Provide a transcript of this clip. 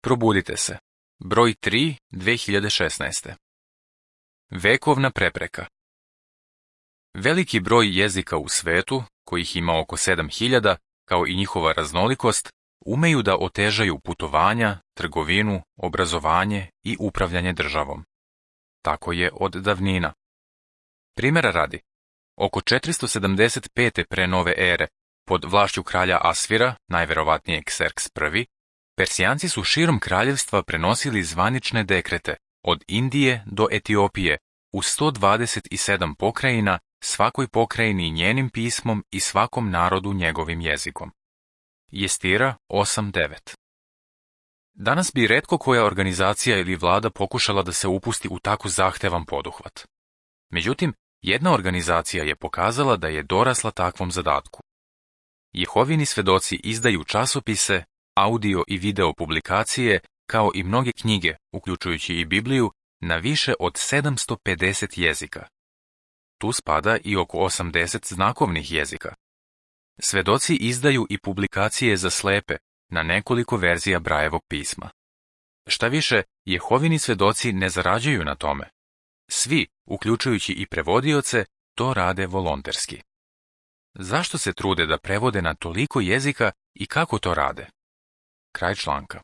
Probudite se. Broj 3, 2016. Vekovna prepreka. Veliki broj jezika u svetu, kojih ima oko 7000, kao i njihova raznolikost, umeju da otežaju putovanja, trgovinu, obrazovanje i upravljanje državom. Tako je od davnina. Primjera radi, oko 475. pre nove ere, pod vlašću kralja Asvira, najverovatnije Kserks I, Persijanci su širom kraljevstva prenosili zvanične dekrete od Indije do Etiopije u 127 pokrajina, svakoj pokrajini njenim pismom i svakom narodu njegovim jezikom. Jestira 8.9. Danas bi retko koja organizacija ili vlada pokušala da se upusti u tako zahtevan poduhvat. Međutim, jedna organizacija je pokazala da je dorasla takvom zadatku. Jehovini svedoci izdaju časopise, audio i video publikacije, kao i mnoge knjige, uključujući i Bibliju, na više od 750 jezika. Tu spada i oko 80 znakovnih jezika. Svedoci izdaju i publikacije za slepe na nekoliko verzija Brajevog pisma. Šta više, Jehovini svedoci ne zarađuju na tome. Svi, uključujući i prevodioce, to rade volonterski. Zašto se trude da prevode na toliko jezika i kako to rade? Kraj članka.